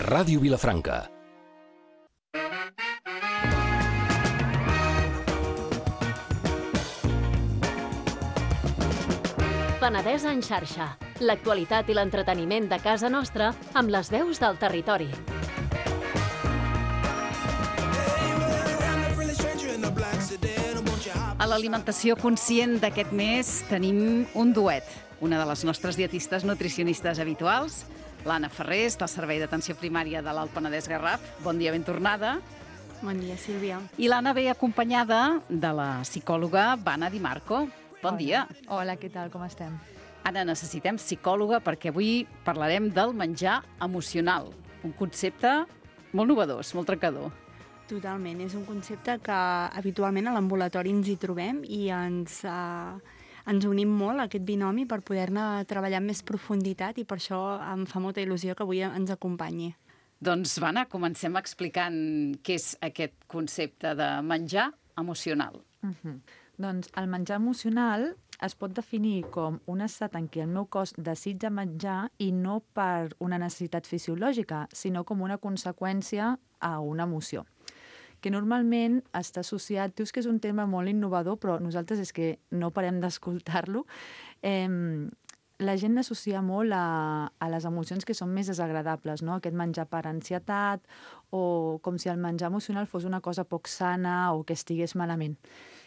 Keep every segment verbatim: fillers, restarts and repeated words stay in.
Ràdio Vilafranca. Penedès en xarxa. L'actualitat i l'entreteniment de casa nostra amb les veus del territori. A l'alimentació conscient d'aquest mes tenim un duet. Una de les nostres dietistes nutricionistes habituals, l'Anna Ferrés, del Servei d'Atenció Primària de l'Alt Penedès Garraf. Bon dia, ben tornada. Bon dia, Sílvia. I l'Anna ve acompanyada de la psicòloga Vana Di Marco. Bon Hola. dia. Hola, què tal, com estem? Anna, necessitem psicòloga perquè avui parlarem del menjar emocional. Un concepte molt novedós, molt trencador. Totalment, és un concepte que habitualment a l'ambulatori ens hi trobem i ens, eh, ens unim molt a aquest binomi per poder-ne treballar amb més profunditat i per això em fa molta il·lusió que avui ens acompanyi. Doncs, Vana, comencem explicant què és aquest concepte de menjar emocional. Uh-huh. Doncs el menjar emocional es pot definir com un estat en què el meu cos desitja menjar i no per una necessitat fisiològica, sinó com una conseqüència a una emoció, que normalment està associat, dius que és un tema molt innovador, però nosaltres és que no parem d'escoltar-lo. Eh, la gent l'associa molt a, a les emocions que són més desagradables, no? Aquest menjar per ansietat o com si el menjar emocional fos una cosa poc sana o que estigués malament.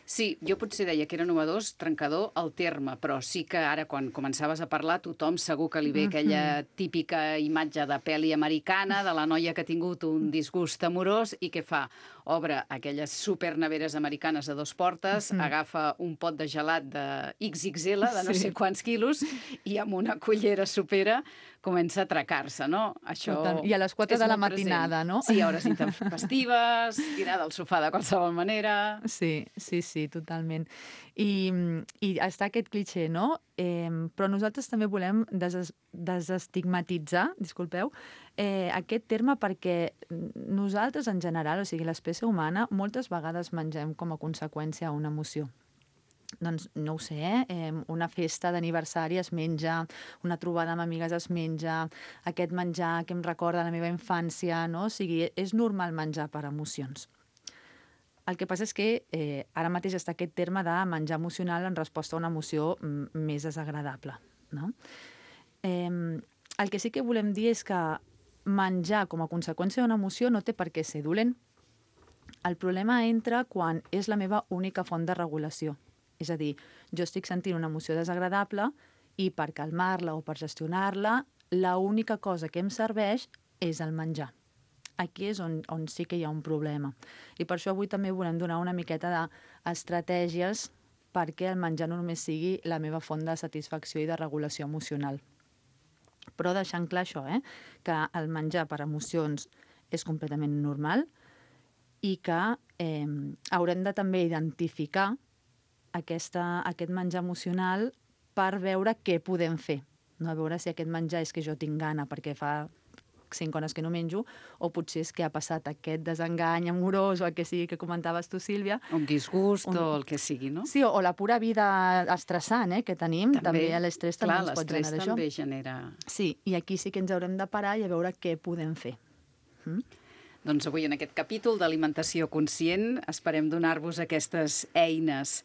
Sí, jo potser deia que era novedós, trencador, el terme, però sí que ara, quan començaves a parlar, tothom segur que li ve aquella típica imatge de pel·li americana de la noia que ha tingut un disgust amorós i què fa? Obre aquelles superneveres americanes de dos portes, mm. agafa un pot de gelat de ics ics ele, de no sí. sé quants quilos, i amb una cullera sopera comença a atracar-se, no? Això I a les quatre de la matinada, present. No? Sí, hores intempestives, tirada al sofà de qualsevol manera... Sí, sí, sí, totalment. I, i està aquest cliché, no? Eh, però nosaltres també volem des desestigmatitzar, disculpeu, eh, aquest terme perquè nosaltres en general, o sigui, l'espècie humana, moltes vegades mengem com a conseqüència a una emoció. Doncs no ho sé, eh, una festa d'aniversari es menja, una trobada amb amigues es menja, aquest menjar que em recorda la meva infància, no? O sigui, és normal menjar per emocions. El que passa és que eh, ara mateix està aquest terme de menjar emocional en resposta a una emoció m- més desagradable, no? Eh, el que sí que volem dir és que menjar com a conseqüència d'una emoció no té per què ser dolent. El problema entra quan és la meva única font de regulació. És a dir, jo estic sentint una emoció desagradable i per calmar-la o per gestionar-la, l'única cosa que em serveix és el menjar. Aquí és on, on sí que hi ha un problema. I per això avui també volem donar una miqueta d'estratègies perquè el menjar no només sigui la meva font de satisfacció i de regulació emocional. Però deixant clar això, eh? que el menjar per emocions és completament normal i que eh, haurem de també identificar Aquesta, aquest menjar emocional per veure què podem fer. No? A veure si aquest menjar és que jo tinc gana perquè fa cinc hores que no menjo, o potser és que ha passat aquest desengany amorós o el que sigui que comentaves tu, Sílvia. Un disgust un... o el que sigui, no? Sí, o, o la pura vida estressant eh, que tenim. També, també l'estrès també clar, ens pot generar això. també genera... Sí, i aquí sí que ens haurem de parar i a veure què podem fer. Mm? Doncs avui en aquest capítol d'alimentació conscient esperem donar-vos aquestes eines.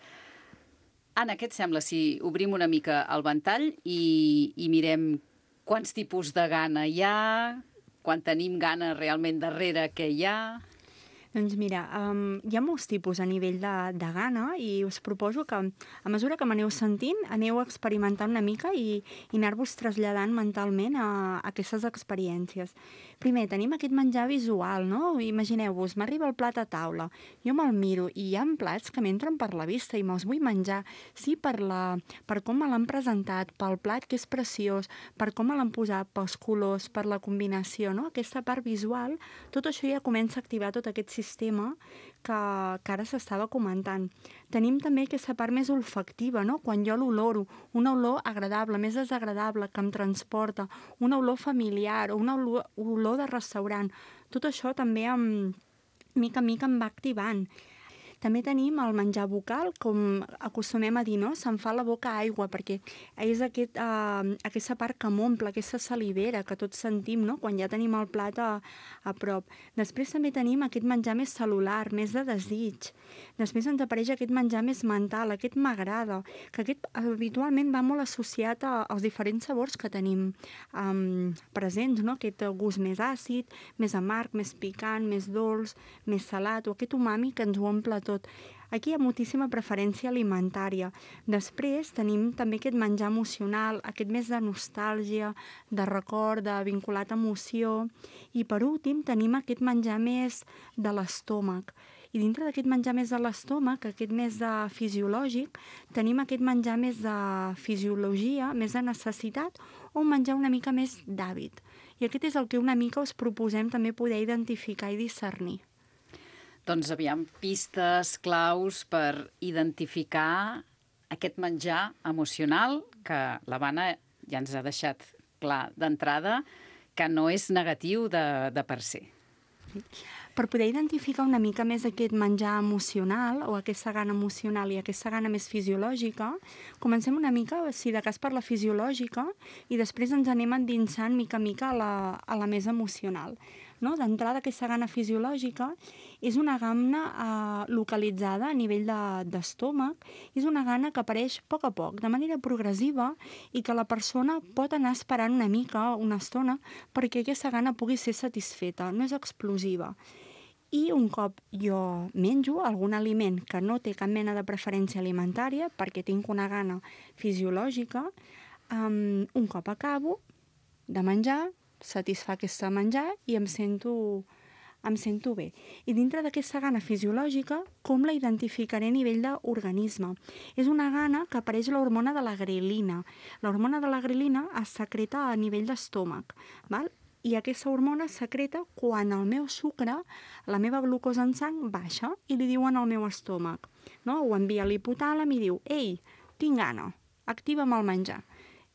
Anna, què et sembla si obrim una mica el ventall i, i mirem quants tipus de gana hi ha, quan tenim gana realment darrere què hi ha? Doncs mira, um, hi ha molts tipus a nivell de, de gana i us proposo que a mesura que m'aneu sentint aneu experimentant una mica i, i anar-vos traslladant mentalment a, a aquestes experiències. Primer, tenim aquest menjar visual, no? Imagineu-vos, m'arriba el plat a taula, jo me'l miro i hi ha plats que m'entren per la vista i me'ls vull menjar. Sí, per, la, per com me l'han presentat, pel plat que és preciós, per com me l'han posat, pels colors, per la combinació, no? Aquesta part visual, tot això ja comença a activar tot aquest sistema sistema que, que ara s'estava comentant. Tenim també aquesta part més olfactiva, no? Quan jo l'oloro, una olor agradable, més desagradable, que em transporta, una olor familiar o una olor, olor de restaurant. Tot això també em, mica en mica em va activant. També tenim el menjar bucal, com acostumem a dir, no? Se'n fa la boca aigua, perquè és aquest, eh, aquesta part que m'omple, aquesta salivera que tots sentim, no? Quan ja tenim el plat a, a prop. Després també tenim aquest menjar més cel·lular, més de desig. Després ens apareix aquest menjar més mental, aquest m'agrada, que aquest habitualment va molt associat a, als diferents sabors que tenim um, presents, no? Aquest gust més àcid, més amarg, més picant, més dolç, més salat, o aquest umami que ens ho omple tot. Aquí hi ha moltíssima preferència alimentària. Després tenim també aquest menjar emocional, aquest més de nostàlgia, de record, de vinculat a emoció. I per últim tenim aquest menjar més de l'estómac. I dintre d'aquest menjar més de l'estómac, aquest més de fisiològic, tenim aquest menjar més de fisiologia, més de necessitat, o un menjar una mica més d'hàbit. I aquest és el que una mica us proposem també poder identificar i discernir. Doncs aviam, pistes, claus per identificar aquest menjar emocional que l'Havana ja ens ha deixat clar d'entrada que no és negatiu de, de per si. Per poder identificar una mica més aquest menjar emocional o aquesta gana emocional i aquesta gana més fisiològica, comencem una mica, si de cas, per la fisiològica i després ens anem endinsant mica a mica a la, a la més emocional. No? D'entrada, aquesta gana fisiològica és una gana eh, localitzada a nivell d'estómac, de, és una gana que apareix a poc a poc, de manera progressiva, i que la persona pot anar esperant una mica, una estona, perquè aquesta gana pugui ser satisfeta, no és explosiva. I un cop jo menjo algun aliment que no té cap mena de preferència alimentària, perquè tinc una gana fisiològica, um, un cop acabo de menjar, satisfà aquesta menjar i em sento, em sento bé. I dintre d'aquesta gana fisiològica, com la identificaré a nivell d'organisme? És una gana que apareix l'hormona de la grelina. L'hormona de la grelina es secreta a nivell d'estómac, val? I aquesta hormona es secreta quan el meu sucre, la meva glucosa en sang, baixa i li diuen al meu estómac. No? Ho envia a l'hipotàlam i diu: ei, tinc gana, activa'm el menjar.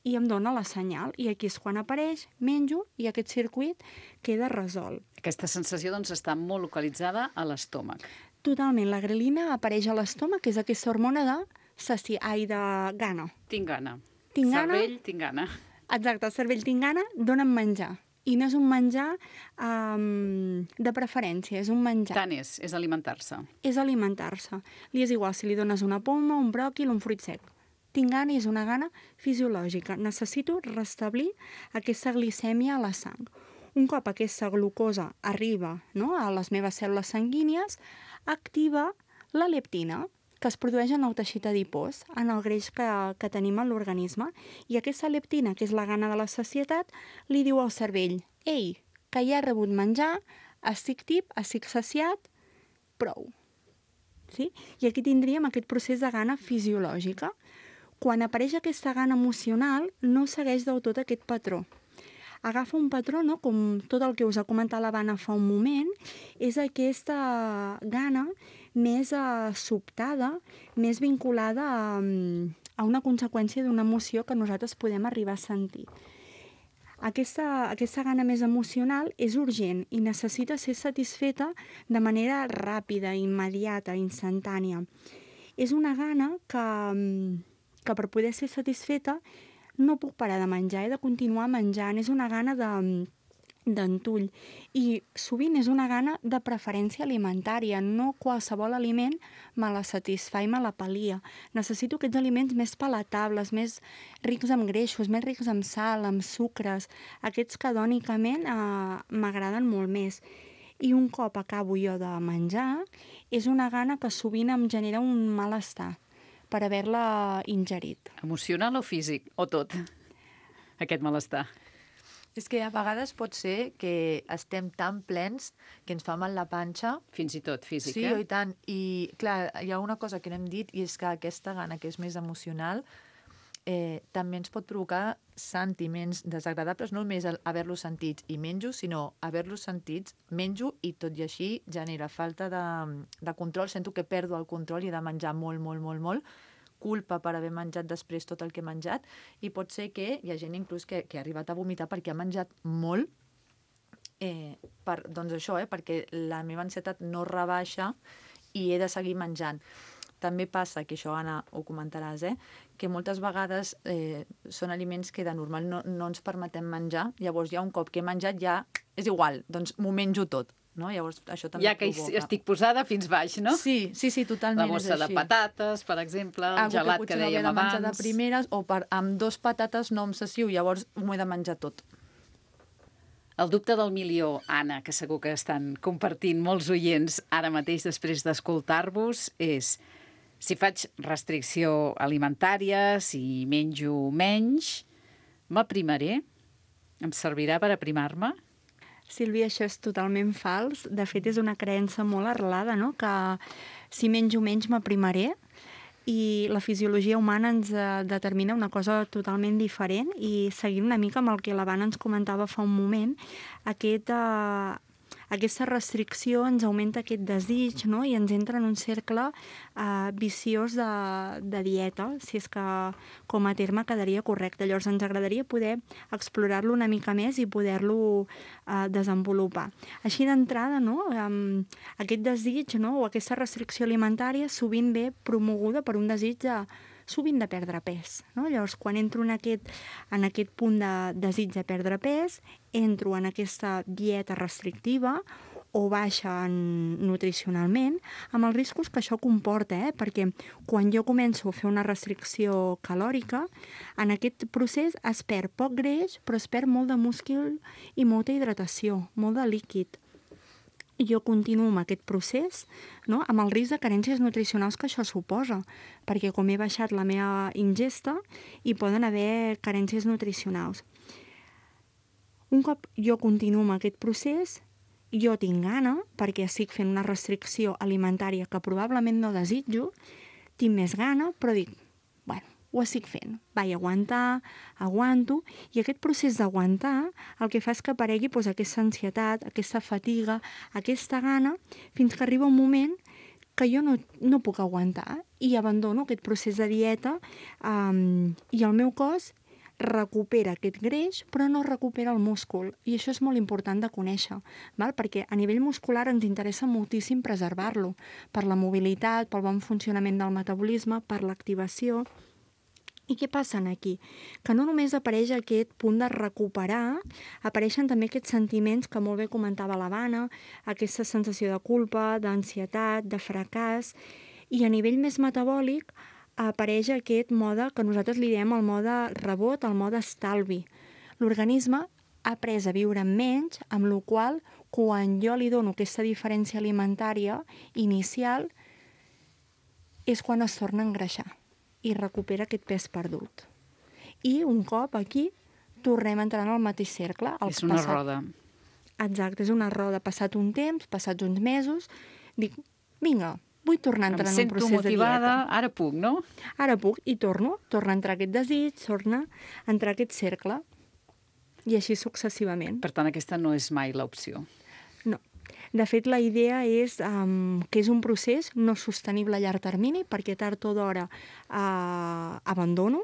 I em dona la senyal, i aquí és quan apareix, menjo, i aquest circuit queda resolt. Aquesta sensació doncs, està molt localitzada a l'estómac. Totalment. La grelina apareix a l'estómac, que és aquesta hormona de saci... ai, de gana. Tinc gana. Tinc gana. Cervell, tinc gana. Exacte, el cervell tinc gana, dona'm menjar. I no és un menjar um, de preferència, és un menjar. Tant és, és alimentar-se. És alimentar-se. Li és igual si li dones una poma, un bròquil, un fruit sec. Tinc gana i és una gana fisiològica. Necessito restablir aquesta glicèmia a la sang. Un cop aquesta glucosa arriba, no, a les meves cèl·lules sanguínies, activa la leptina, que es produeix en el teixit adipós, en el greix que, que tenim en l'organisme. I aquesta leptina, que és la gana de la sacietat, li diu al cervell: ei, que ja he rebut menjar, estic tip, estic saciat, prou. Sí? I aquí tindríem aquest procés de gana fisiològica. Quan apareix aquesta gana emocional, no segueix del tot aquest patró. Agafa un patró, no? Com tot el que us ha comentat l'Havana fa un moment, és aquesta gana més eh, sobtada, més vinculada a, a una conseqüència d'una emoció que nosaltres podem arribar a sentir. Aquesta, aquesta gana més emocional és urgent i necessita ser satisfeta de manera ràpida, immediata, instantània. És una gana que... que per poder ser satisfeta no puc parar de menjar, he de continuar menjant, és una gana de, d'entull. I sovint és una gana de preferència alimentària, no qualsevol aliment me la satisfà i me la pal·lia. Necessito aquests aliments més palatables, més rics en greixos, més rics en sal, en sucres, aquests que dònicament eh, m'agraden molt més. I un cop acabo jo de menjar, és una gana que sovint em genera un malestar per haver-la ingerit. Emocional o físic? O tot? Aquest malestar. És que a vegades pot ser que estem tan plens que ens fa mal la panxa. Fins i tot física. Sí, i tant. I, clar, hi ha una cosa que no hem dit, i és que aquesta gana, que és més emocional, eh, també ens pot provocar sentiments desagradables, no només haver-los sentits i menjo, sinó haver-los sentits, menjo, i tot i així genera falta de, de control. Sento que perdo el control i he de menjar molt, molt, molt, molt. Culpa per haver menjat després tot el que he menjat, i pot ser que hi ha gent inclús que, que ha arribat a vomitar perquè ha menjat molt, eh, per, doncs això, eh, perquè la meva ansietat no rebaixa i he de seguir menjant. També passa, que això, Anna, ho comentaràs, eh? que moltes vegades eh, són aliments que de normal no, no ens permetem menjar, llavors ja un cop que he menjat ja és igual, doncs m'ho menjo tot. No? Llavors, això també ja que provoca. estic posada fins baix, no? Sí, sí, sí, totalment. La bossa de patates, per exemple, el Algo gelat que, que, que dèiem no abans. de primeres, o per, amb dos patates no em sacio, llavors m'ho he de menjar tot. El dubte del milió, Anna, que segur que estan compartint molts oients ara mateix després d'escoltar-vos, és si faig restricció alimentària, si menjo menys, m'aprimaré? Em servirà per aprimar-me? Sílvia, això és totalment fals. De fet, és una creença molt arrelada, no? Que si menjo menys m'aprimaré, i la fisiologia humana ens eh, determina una cosa totalment diferent, i seguint una mica amb el que l'Havana ens comentava fa un moment, aquest, eh, aquesta restricció ens augmenta aquest desig, no? I ens entra en un cercle eh, viciós de, de dieta, si és que com a terme quedaria correcte. Llavors ens agradaria poder explorar-lo una mica més i poder-lo eh, desenvolupar. Així d'entrada, no? Um, aquest desig, no? O aquesta restricció alimentària sovint ve promoguda per un desig de sovint de perdre pes. No? Llavors, quan entro en aquest, en aquest punt de desig de perdre pes, entro en aquesta dieta restrictiva o baixa en, nutricionalment, amb els riscos que això comporta, eh? Perquè quan jo començo a fer una restricció calòrica, en aquest procés es perd poc greix, però es perd molt de múscul i molta hidratació, molt de líquid. Jo continuo amb aquest procés, no? Amb el risc de carències nutricionals que això suposa, perquè com he baixat la meva ingesta, hi poden haver carències nutricionals. Un cop jo continuo amb aquest procés, jo tinc gana, perquè estic fent una restricció alimentària que probablement no desitjo, tinc més gana, però dic, bueno, ho estic fent. Vaig aguantar, aguanto, i aquest procés d'aguantar el que fa és que aparegui doncs, aquesta ansietat, aquesta fatiga, aquesta gana, fins que arriba un moment que jo no, no puc aguantar i abandono aquest procés de dieta um, i el meu cos recupera aquest greix, però no recupera el múscul. I això és molt important de conèixer, val? Perquè a nivell muscular ens interessa moltíssim preservar-lo, per la mobilitat, pel bon funcionament del metabolisme, per l'activació. I què passa aquí? Que no només apareix aquest punt de recuperar, apareixen també aquests sentiments que molt bé comentava l'Havana, aquesta sensació de culpa, d'ansietat, de fracàs, i a nivell més metabòlic apareix aquest mode que nosaltres li diem el mode rebot, el mode estalvi. L'organisme ha après a viure menys, amb la qual quan jo li dono aquesta diferència alimentària inicial és quan es torna a engreixar i recupera aquest pes perdut. I un cop aquí tornem a entrar en el mateix cercle. El és una passat... roda. Exacte, és una roda. Passat un temps, passats uns mesos, dic, vinga, vull tornar a entrar en un procés de dieta. Em sento motivada, ara puc, no? Ara puc, i torno, torna a entrar aquest desig, torna a entrar aquest cercle, i així successivament. Per tant, aquesta no és mai l'opció. No. De fet, la idea és um, que és un procés no sostenible a llarg termini, perquè tard o d'hora uh, abandono.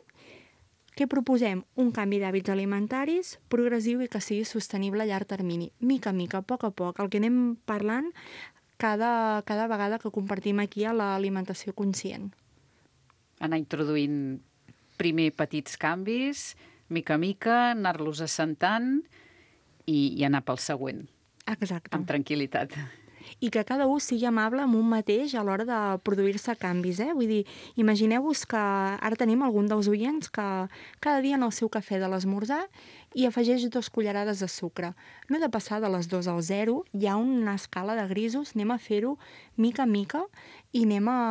Què proposem? Un canvi d'hàbits alimentaris progressiu i que sigui sostenible a llarg termini. Mica a mica, a poc a poc, el que anem parlant cada, cada vegada que compartim aquí a l'alimentació conscient. Anar introduint primer petits canvis, mica a mica, anar-los assentant i, i anar pel següent. Exacte. Amb tranquil·litat. I que cada un sigui amable amb un mateix a l'hora de produir-se canvis, eh? Vull dir, imagineu-vos que ara tenim algun dels oients que cada dia en el seu cafè de l'esmorzar i afegeix dos cullerades de sucre. No he de passar de les dos al zero, hi ha una escala de grisos, anem a fer-ho mica a mica i anem a,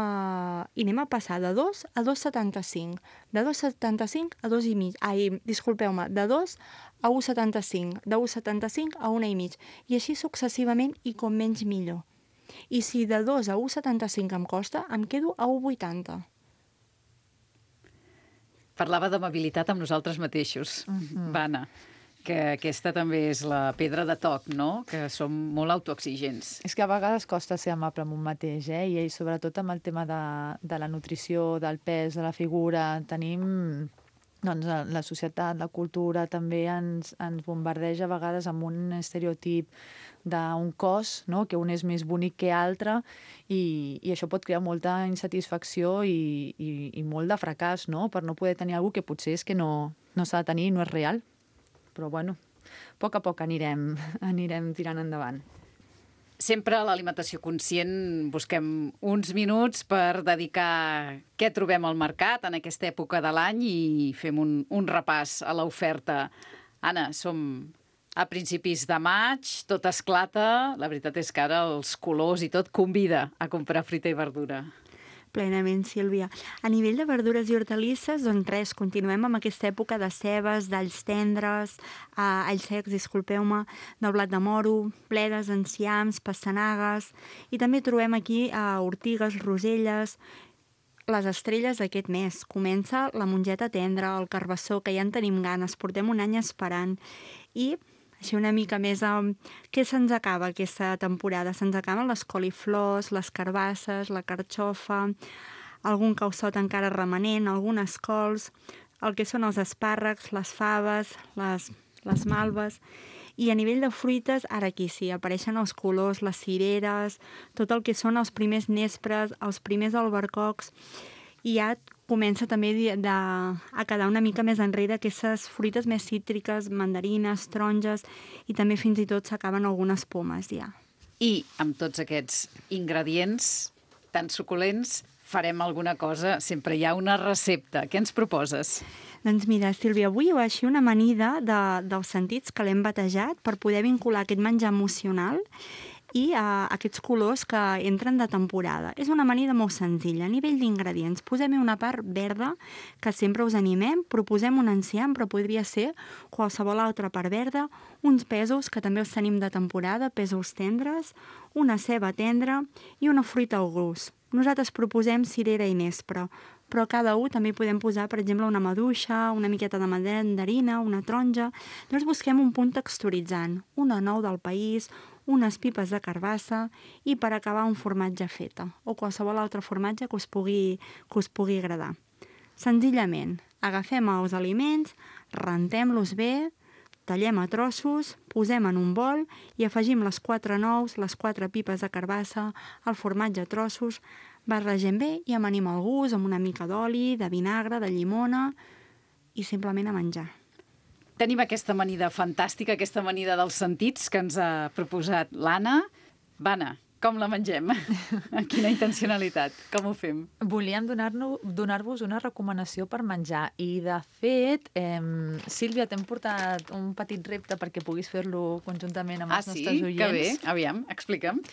i anem a passar de dos a dos coma setanta-cinc. De dos coma setanta-cinc a dos i mig. Ai, disculpeu-me, de dos a un coma setanta-cinc. De un coma setanta-cinc a una i mig. I així successivament i com menys millor. I si de dos a un coma setanta-cinc em costa, em quedo a un coma vuitanta. Parlava d'amabilitat amb nosaltres mateixos, uh-huh. Vana, que aquesta també és la pedra de toc, no? Que som molt autoexigents. És que a vegades costa ser amable amb un mateix, eh? I sobretot amb el tema de, de la nutrició, del pes, de la figura, tenim doncs, la societat, la cultura també ens, ens bombardeja a vegades amb un estereotip d'un cos, no? Que un és més bonic que altre, i, i això pot crear molta insatisfacció i, i, i molt de fracàs, no? Per no poder tenir alguna que potser és que no, no s'ha de tenir i no és real. Però bueno, a poc a poc anirem, anirem tirant endavant. Sempre a l'alimentació conscient busquem uns minuts per dedicar què trobem al mercat en aquesta època de l'any i fem un, un repàs a l'oferta. Anna, som a principis de maig, tot esclata, la veritat és que ara els colors i tot convida a comprar fruita i verdura. Plenament, Sílvia. A nivell de verdures i hortalisses, doncs res, continuem amb aquesta època de cebes, d'alls tendres, eh, alls secs, disculpeu-me, del blat de moro, bledes, enciams, pastanagues, i també trobem aquí eh, ortigues, roselles, les estrelles d'aquest mes. Comença la mongeta tendra, el carbassó, que ja en tenim ganes, portem un any esperant, i així una mica més um, què se'ns acaba aquesta temporada? Se'ns acaben les coliflors, les carbasses, la carxofa, algun calçot encara remanent, algunes cols, el que són els espàrrecs, les faves, les, les malves. I a nivell de fruites, ara aquí sí, apareixen els colors, les cireres, tot el que són els primers nespres, els primers albercocs, i ja comença també de, de, a quedar una mica més enrere aquestes fruites més cítriques, mandarines, taronges, i també fins i tot s'acaben algunes pomes ja. I amb tots aquests ingredients tan suculents farem alguna cosa, sempre hi ha una recepta. Què ens proposes? Doncs mira, Sílvia, avui ho així una amanida de, dels sentits que l'hem batejat per poder vincular aquest menjar emocional i uh, aquests colors que entren de temporada. És una amanida molt senzilla. A nivell d'ingredients, posem-hi una part verda, que sempre us animem, proposem un enciam, però podria ser qualsevol altra part verda, uns pèsols, que també els tenim de temporada, pèsols tendres, una ceba tendra i una fruita al gust. Nosaltres proposem cirera i nespre, però cada un també podem posar, per exemple, una maduixa, una miqueta de mandarina, una taronja. Llavors busquem un punt texturitzant, una nou del país, unes pipes de carbassa i per acabar un formatge feta o qualsevol altre formatge que us pugui, que us pugui agradar. Senzillament, agafem els aliments, rentem-los bé, tallem a trossos, posem en un bol i afegim les quatre nous, les quatre pipes de carbassa, el formatge a trossos, barregem bé i amanim el gust amb una mica d'oli, de vinagre, de llimona i simplement a menjar. Tenim aquesta amanida fantàstica, aquesta amanida dels sentits que ens ha proposat l'Anna. Vana, com la mengem? Amb quina intencionalitat? Com ho fem? Volíem donar-nos donar-vos una recomanació per menjar i, de fet, eh, Sílvia, t'hem portat un petit repte perquè puguis fer-lo conjuntament amb els ah, nostres sí? oients. Que bé, aviam, explica'm.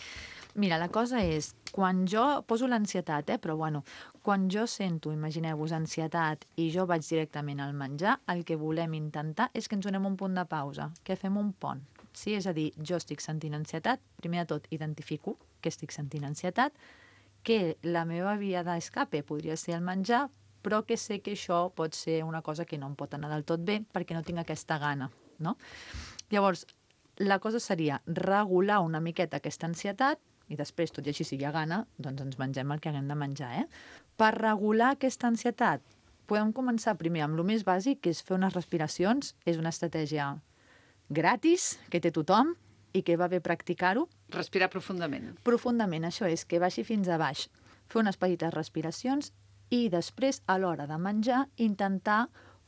Mira, la cosa és, quan jo poso l'ansietat, eh, però bueno, quan jo sento, imagineu-vos, ansietat i jo vaig directament al menjar, el que volem intentar és que ens donem un punt de pausa, que fem un pont. Sí? És a dir, jo estic sentint ansietat, primer de tot identifico que estic sentint ansietat, que la meva via d'escape podria ser el menjar, però que sé que això pot ser una cosa que no em pot anar del tot bé perquè no tinc aquesta gana, no? Llavors, la cosa seria regular una miqueta aquesta ansietat i després, tot i així, si hi ha gana, doncs ens mengem el que haguem de menjar, eh? Per regular aquesta ansietat, podem començar primer amb el més bàsic, que és fer unes respiracions. És una estratègia gratis, que té tothom i que va bé practicar-ho. Respirar profundament. Profundament, això és, que baixi fins a baix. Fer unes petites respiracions i després, a l'hora de menjar, intentar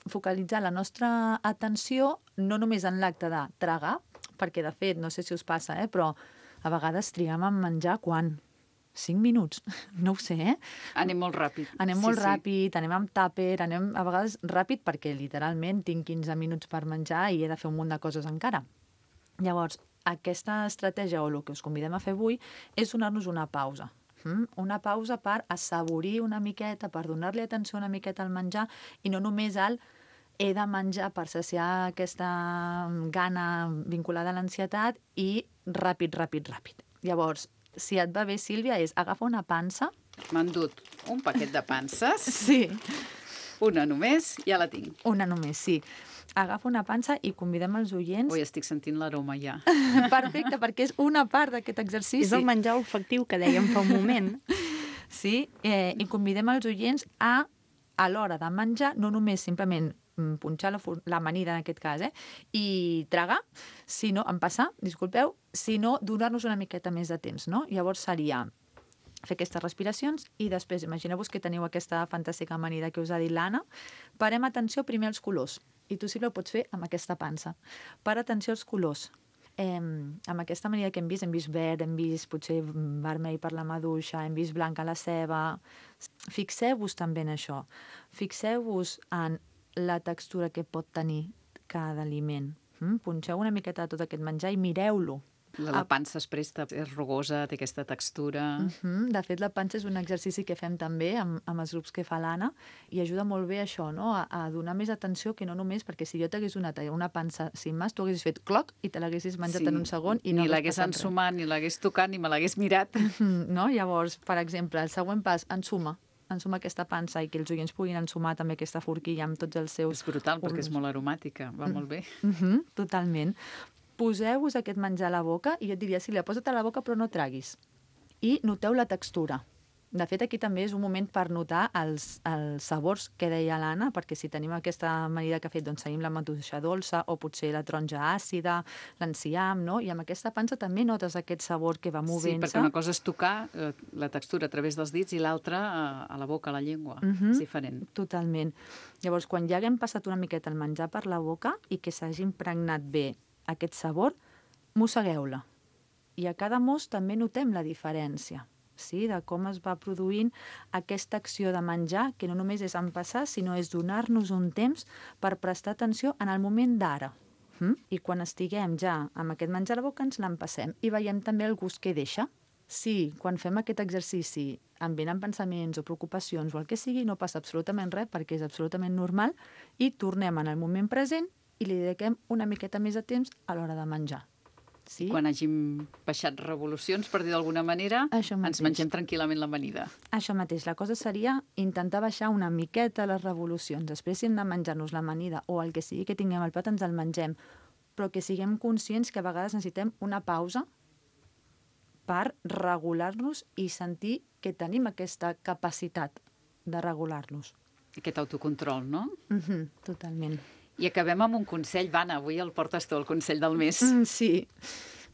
focalitzar la nostra atenció no només en l'acte de tragar, perquè, de fet, no sé si us passa, eh, però a vegades triguem a menjar quan? Cinc minuts? No ho sé, eh? Anem molt ràpid. Anem sí, molt sí. ràpid, anem amb tàper, anem a vegades ràpid perquè literalment tinc quinze minuts per menjar i he de fer un munt de coses encara. Llavors, aquesta estratègia o el que us convidem a fer avui és donar-nos una pausa. Mm? Una pausa per assaborir una miqueta, per donar-li atenció una miqueta al menjar i no només al he de menjar per saciar aquesta gana vinculada a l'ansietat i ràpid, ràpid, ràpid. Llavors, si et va bé, Sílvia, és agafa una pansa. M'han dut un paquet de panses. Sí. Una només, ja la tinc. Una només, sí. Agafa una pansa i convidem els oients... Ui, estic sentint l'aroma ja. Perfecte, perquè és una part d'aquest exercici. És el menjar olfactiu que dèiem fa un moment. Sí, eh, i convidem els oients a, a l'hora de menjar, no només simplement punxar la, la amanida en aquest cas, eh? I tragar, si no, empassar, disculpeu, si no, donar-nos una miqueta més de temps, no? Llavors seria fer aquestes respiracions i després, imagineu-vos que teniu aquesta fantàstica amanida que us ha dit l'Anna, parem atenció primer als colors, i tu sí que ho pots fer amb aquesta pansa. Para atenció als colors. Eh, amb aquesta amanida que hem vist, hem vist verd, hem vist potser vermell per la maduixa, hem vist blanca la ceba. Fixeu-vos també en això. Fixeu-vos en la textura que pot tenir cada aliment. Mm? Punxeu una miqueta de tot aquest menjar i mireu-lo. La, la pansa es presta, és rugosa, té aquesta textura... Uh-huh. De fet, la pansa és un exercici que fem també amb, amb els grups que fa l'Anna i ajuda molt bé això, no? a, a donar més atenció que no només, perquè si jo t'hagués donat una pansa sin més, tu haguessis fet cloc i te l'haguessis menjat sí. en un segon i no ni l'hagués ensumat, ni l'hagués tocat, ni me l'hagués mirat. Uh-huh. No? Llavors, per exemple, el següent pas, ensuma. Ensuma aquesta pansa i que els oients puguin ensumar també aquesta forquilla amb tots els seus... És brutal, perquè és molt aromàtica, va uh-huh. molt bé. Uh-huh. Totalment. Poseu-vos aquest menjar a la boca i jo et diria, Sílvia, posa't a la boca però no traguis. I noteu la textura. De fet, aquí també és un moment per notar els, els sabors que deia l'Anna, perquè si tenim aquesta amanida que ha fet, doncs tenim la maduixa dolça o potser la taronja àcida, l'enciam, no? I amb aquesta pansa també notes aquest sabor que va movent-se. Sí, perquè una cosa és tocar eh, la textura a través dels dits i l'altra a, a la boca, a la llengua. Uh-huh. És diferent. Totalment. Llavors, quan ja haguem passat una miqueta el menjar per la boca i que s'hagi impregnat bé aquest sabor, mossegueu-la. I a cada mos també notem la diferència, sí? De com es va produint aquesta acció de menjar, que no només és empassar, sinó és donar-nos un temps per prestar atenció en el moment d'ara. Mm? I quan estiguem ja amb aquest menjar a la boca ens l'empassem i veiem també el gust que deixa. Sí, quan fem aquest exercici em venen pensaments o preocupacions o el que sigui, no passa absolutament res perquè és absolutament normal i tornem en el moment present i li dediquem una miqueta més de temps a l'hora de menjar. Sí? Quan hàgim baixat revolucions, per dir d'alguna manera, ens mengem tranquil·lament l'amanida. Això mateix. La cosa seria intentar baixar una miqueta les revolucions. Després, si hem de menjar-nos l'amanida o el que sigui que tinguem al plat, ens el mengem. Però que siguem conscients que a vegades necessitem una pausa per regular-nos i sentir que tenim aquesta capacitat de regular-nos. Aquest autocontrol, no? Uh-huh, totalment. I acabem amb un consell. Vana, avui el portes tu, el consell del mes. Mm, sí.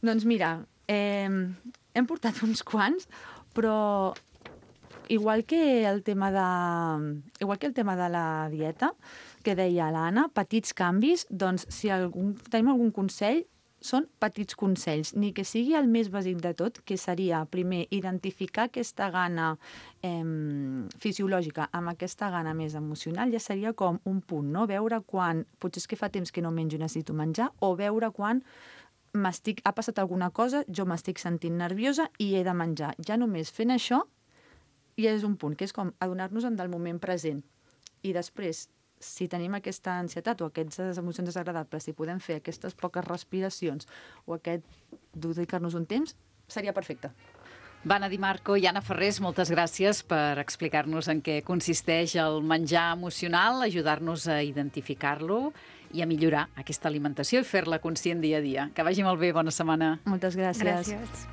Doncs mira, eh, hem portat uns quants, però igual que el tema de, igual que el tema de la dieta, que deia l'Anna, petits canvis, doncs si algun, tenim algun consell, són petits consells, ni que sigui el més bàsic de tot, que seria, primer, identificar aquesta gana eh, fisiològica amb aquesta gana més emocional, ja seria com un punt, no? Veure quan, potser és que fa temps que no menjo i necessito menjar, o veure quan m'estic, ha passat alguna cosa, jo m'estic sentint nerviosa i he de menjar. Ja només fent això, ja és un punt, que és com adonar-nos-en del moment present. I després, si tenim aquesta ansietat o aquestes emocions desagradables, si podem fer aquestes poques respiracions o aquest dedicar-nos un temps, seria perfecte. Vana Di Marco i Anna Ferrés, moltes gràcies per explicar-nos en què consisteix el menjar emocional, ajudar-nos a identificar-lo i a millorar aquesta alimentació i fer-la conscient dia a dia. Que vagi molt bé, bona setmana. Moltes gràcies. Gràcies.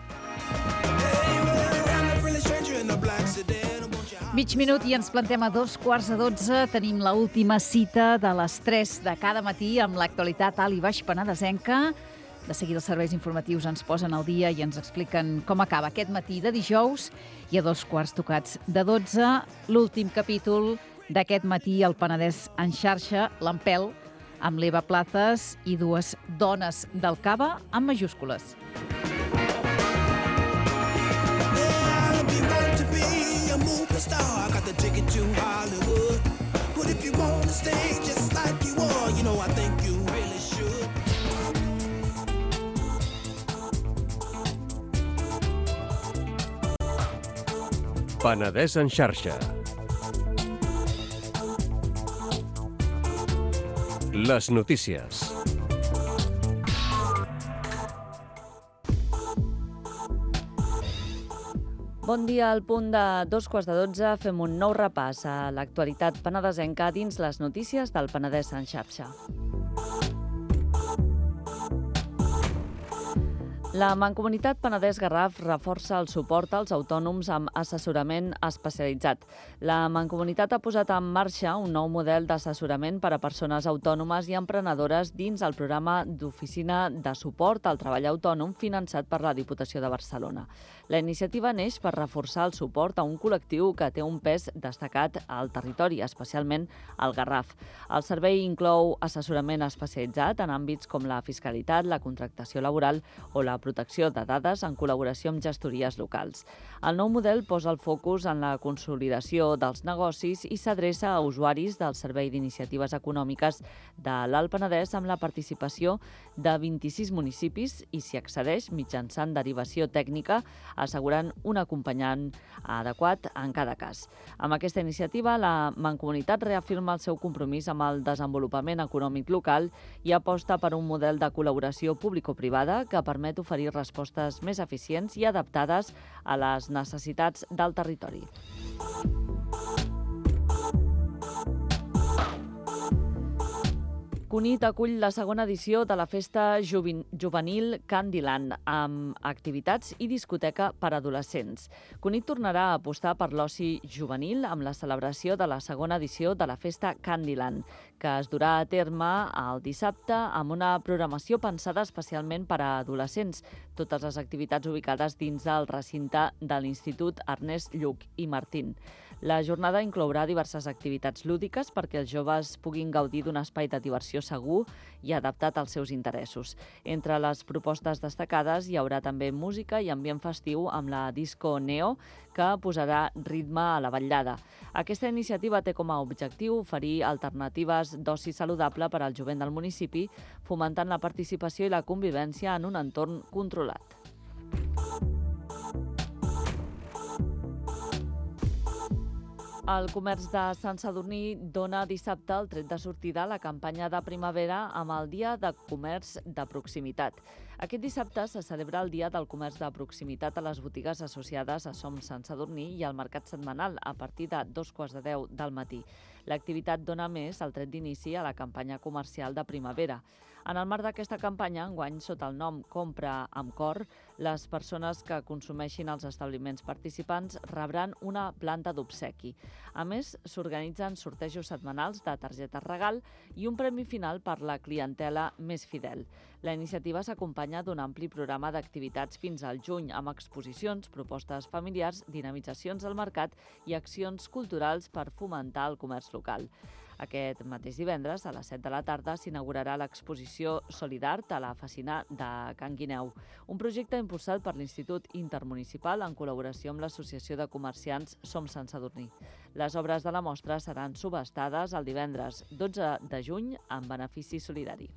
Mig minut i ens plantem a dos quarts de dotze. Tenim la última cita de les tres de cada matí amb l'actualitat alt i baix penedesenca. De seguida els serveis informatius ens posen al dia i ens expliquen com acaba aquest matí de dijous. I a dos quarts tocats de dotze, l'últim capítol d'aquest matí al Penedès en xarxa, l'Empel, amb l'Eva Plazas i dues dones del cava amb majúscules. Penedès en xarxa. Les notícies. Bon dia, al punt de dos quarts de dotze fem un nou repàs a l'actualitat penedesenca dins les notícies del Penedès en xarxa. La Mancomunitat Penedès-Garraf reforça el suport als autònoms amb assessorament especialitzat. La Mancomunitat ha posat en marxa un nou model d'assessorament per a persones autònomes i emprenedores dins el programa d'oficina de suport al treball autònom finançat per la Diputació de Barcelona. La iniciativa neix per reforçar el suport a un col·lectiu que té un pes destacat al territori, especialment al Garraf. El servei inclou assessorament especialitzat en àmbits com la fiscalitat, la contractació laboral o la protecció de dades en col·laboració amb gestories locals. El nou model posa el focus en la consolidació dels negocis i s'adreça a usuaris del Servei d'Iniciatives Econòmiques de l'Alt Penedès amb la participació de vint-i-sis municipis i s'hi accedeix mitjançant derivació tècnica, assegurant un acompanyant adequat en cada cas. Amb aquesta iniciativa, la Mancomunitat reafirma el seu compromís amb el desenvolupament econòmic local i aposta per un model de col·laboració público-privada que permet oferir respostes més eficients i adaptades a les necessitats del territori. Cunit acull la segona edició de la festa juvenil Candyland, amb activitats i discoteca per a adolescents. Cunit tornarà a apostar per l'oci juvenil amb la celebració de la segona edició de la festa Candyland, que es durà a terme el dissabte amb una programació pensada especialment per a adolescents, totes les activitats ubicades dins del recinte de l'Institut Ernest Lluch i Martín. La jornada inclourà diverses activitats lúdiques perquè els joves puguin gaudir d'un espai de diversió segur i adaptat als seus interessos. Entre les propostes destacades hi haurà també música i ambient festiu amb la Disco Neo, que posarà ritme a la vetllada. Aquesta iniciativa té com a objectiu oferir alternatives d'oci saludable per al jovent del municipi, fomentant la participació i la convivència en un entorn controlat. El comerç de Sant Sadurní dona dissabte el tret de sortida a la campanya de primavera amb el Dia de Comerç de Proximitat. Aquest dissabte se celebra el Dia del Comerç de Proximitat a les botigues associades a Som Sant Sadurní i al mercat setmanal a partir de dos quarts de deu del matí. L'activitat dona més el tret d'inici a la campanya comercial de primavera. En el marc d'aquesta campanya, enguany sota el nom Compra amb Cor, les persones que consumeixin als establiments participants rebran una planta d'obsequi. A més, s'organitzen sortejos setmanals de targetes regal i un premi final per la clientela més fidel. La iniciativa s'acompanya d'un ampli programa d'activitats fins al juny, amb exposicions, propostes familiars, dinamitzacions del mercat i accions culturals per fomentar el comerç local. Aquest mateix divendres, a les set de la tarda, s'inaugurarà l'exposició Solidart a la Fassina de Can Guineu, un projecte impulsat per l'Institut Intermunicipal en col·laboració amb l'Associació de Comerciants Som Sant Sadurní. Les obres de la mostra seran subhastades el divendres dotze de juny en benefici solidari.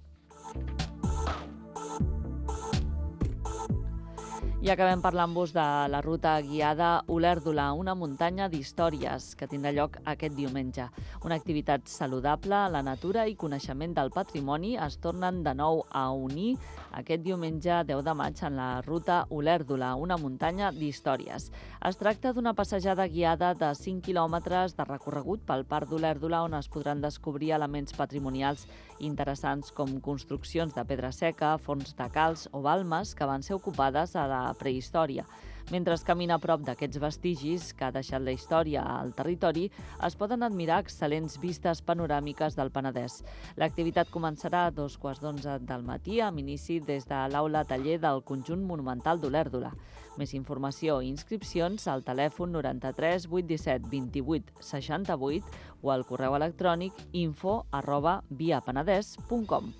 I acabem parlant-vos de la ruta guiada Olèrdola, una muntanya d'històries que tindrà lloc aquest diumenge. Una activitat saludable, la natura i coneixement del patrimoni es tornen de nou a unir aquest diumenge deu de maig en la ruta Olèrdola, una muntanya d'històries. Es tracta d'una passejada guiada de cinc quilòmetres de recorregut pel Parc d'Olèrdola on es podran descobrir elements patrimonials interessants com construccions de pedra seca, forns de calç o balmes que van ser ocupades a la prehistòria. Mentre es camina a prop d'aquests vestigis que ha deixat la història al territori, es poden admirar excel·lents vistes panoràmiques del Penedès. L'activitat començarà a dos quarts d'onze del matí, amb inici des de l'aula taller del Conjunt Monumental d'Olèrdola. Més informació i inscripcions al telèfon noranta-tres vuit disset vint-i-vuit seixanta-vuit o al correu electrònic info arroba viapenedès punt com.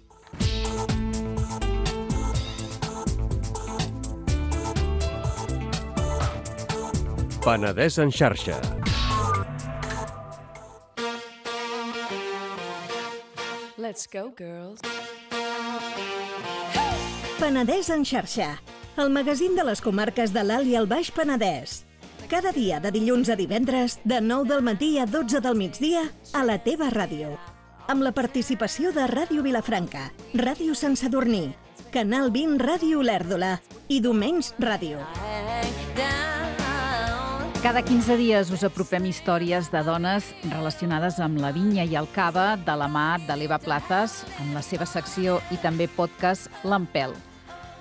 Penedès en xarxa. Let's go, girls. Penedès en xarxa, el magazín de les comarques de l'Alt i el Baix Penedès. Cada dia de dilluns a divendres, de nou del matí a dotze del migdia, a la teva ràdio. Amb la participació de Ràdio Vilafranca, Ràdio Sant Sadurní, Canal vint Ràdio Olèrdola i Domenys Ràdio. Cada quinze dies us apropem històries de dones relacionades amb la vinya i el cava de la mà de l'Eva Plazas, amb la seva secció i també podcast L'Empel.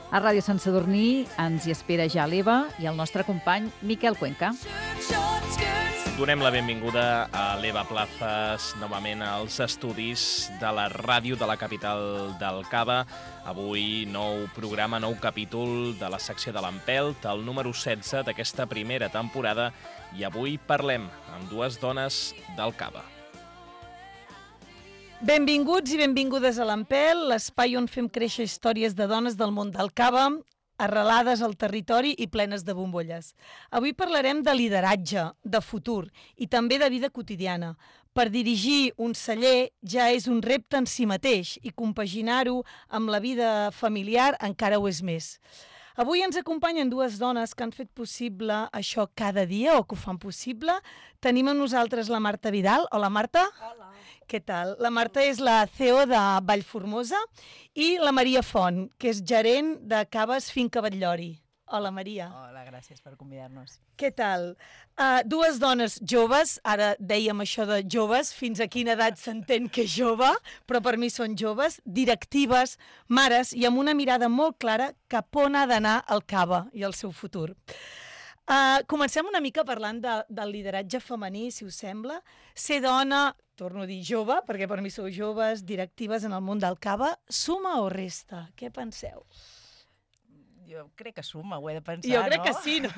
A Ràdio Sant Sadurní ens hi espera ja l'Eva i el nostre company Miquel Cuenca. Donem la benvinguda a l'Eva Plazas novament als estudis de la ràdio de la capital del Cava. Avui nou programa, nou capítol de la secció de l'Empelt, el número setze d'aquesta primera temporada, i avui parlem amb dues dones del Cava. Benvinguts i benvingudes a l'Empelt, l'espai on fem créixer històries de dones del món del Cava, arrelades al territori i plenes de bombolles. Avui parlarem de lideratge, de futur i també de vida quotidiana. Per dirigir un celler ja és un repte en si mateix i compaginar-ho amb la vida familiar encara ho és més. Avui ens acompanyen dues dones que han fet possible això cada dia o que ho fan possible. Tenim amb nosaltres la Marta Vidal. Hola, Marta. Hola. Què tal? La Marta és la C E O de Vallformosa i la Maria Font, que és gerent de Caves Finca Batllori. Hola, Maria. Hola, gràcies per convidar-nos. Què tal? Uh, dues dones joves, ara dèiem això de joves, fins a quina edat s'entén que és jove, però per mi són joves, directives, mares i amb una mirada molt clara cap on ha d'anar el Cava i el seu futur. Uh, comencem una mica parlant de, del lideratge femení, si us sembla. Ser dona, torno a dir jove, perquè per mi sou joves, directives en el món del Cava, suma o resta? Què penseu? Jo crec que suma, ho he de pensar, jo crec no? que sí, no?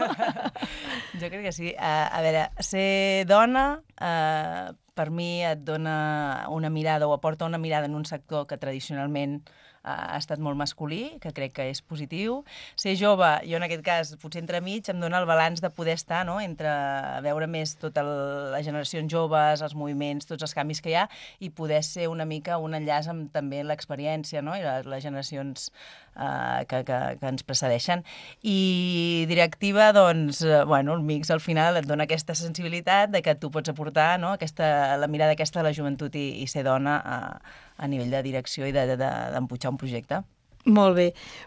Jo crec que sí. Uh, a veure, ser dona uh, per mi et dona una mirada o aporta una mirada en un sector que tradicionalment ha estat molt masculí, que crec que és positiu. Ser jove, jo en aquest cas, potser entremig, em dona el balanç de poder estar, no?, entre veure més totes les generacions joves, els moviments, tots els canvis que hi ha, i poder ser una mica un enllaç amb també l'experiència, no?, i les, les generacions uh, que, que, que ens precedeixen. I directiva, doncs, uh, bueno, el mix al final et dona aquesta sensibilitat de que tu pots aportar, no?, aquesta, la mirada aquesta de la joventut i, i ser dona a, a nivell de direcció i d'empujar de, de, de un projecte. Molt bé.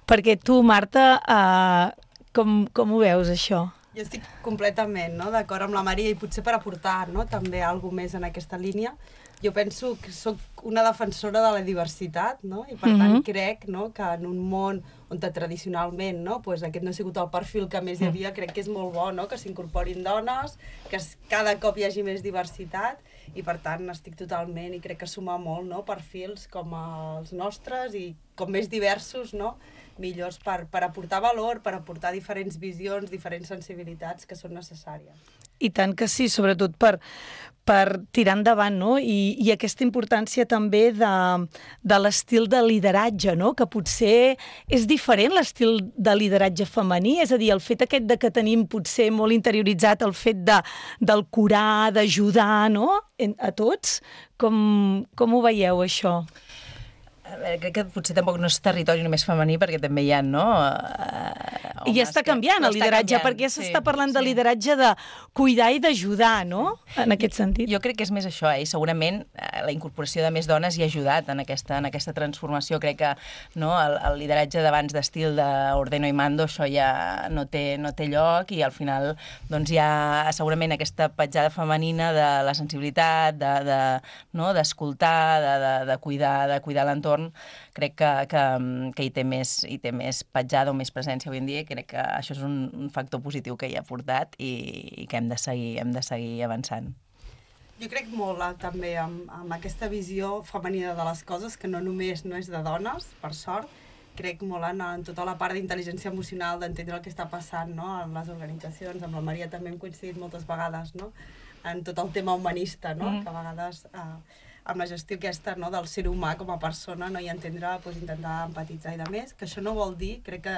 Perquè tu, Marta, uh, com, com ho veus, això? Jo estic completament, no?, d'acord amb la Maria i potser per aportar, no?, també alguna més en aquesta línia. Jo penso que sóc una defensora de la diversitat, no?, i per tant mm-hmm. crec, no?, que en un món on tradicionalment, no?, pues aquest no ha sigut el perfil que més hi havia, crec que és molt bo, no?, que s'incorporin dones, que cada cop hi hagi més diversitat, i per tant estic totalment i crec que suma molt, no?, perfils com els nostres i com més diversos, no?, millors per, per aportar valor, per aportar diferents visions, diferents sensibilitats que són necessàries. I tant que sí, sobretot per, per tirar endavant, no? I, i aquesta importància també de, de l'estil de lideratge, no?, que potser és diferent l'estil de lideratge femení, és a dir, el fet aquest de que tenim potser molt interioritzat el fet de, del curar, d'ajudar, no?, a tots. Com, com ho veieu, això? A veure, crec que potser tampoc no és territori només femení, perquè també hi ha, no? Uh, I ja està canviant que... el lideratge, canviant, perquè ja s'està sí, parlant sí. de lideratge de cuidar i d'ajudar, no? En aquest sentit. Jo crec que és més això, eh? I segurament la incorporació de més dones hi ha ajudat en aquesta, en aquesta transformació. Crec que no, el, el lideratge d'abans d'estil d'ordeno i mando, això ja no té, no té lloc, i al final doncs, hi ha segurament aquesta petjada femenina de la sensibilitat, de, de, no, d'escoltar, de, de, de cuidar, de cuidar l'entorn. Crec que, que, que hi té més, hi té més petjada o més presència avui en dia, i crec que això és un, un factor positiu que hi ha portat i, i que hem de seguir, hem de seguir avançant. Jo crec molt eh, també amb, amb aquesta visió femenina de les coses, que no només no és de dones, per sort, crec molt en, en tota la part d'intel·ligència emocional, d'entendre el que està passant, no?, en les organitzacions. Amb la Maria també hem coincidit moltes vegades, no?, en tot el tema humanista, no?, mm. que a vegades... Eh, amb la gestió aquesta, no?, del ser humà com a persona, no?, i entendre, pues, intentar empatitzar i de més, que això no vol dir, crec que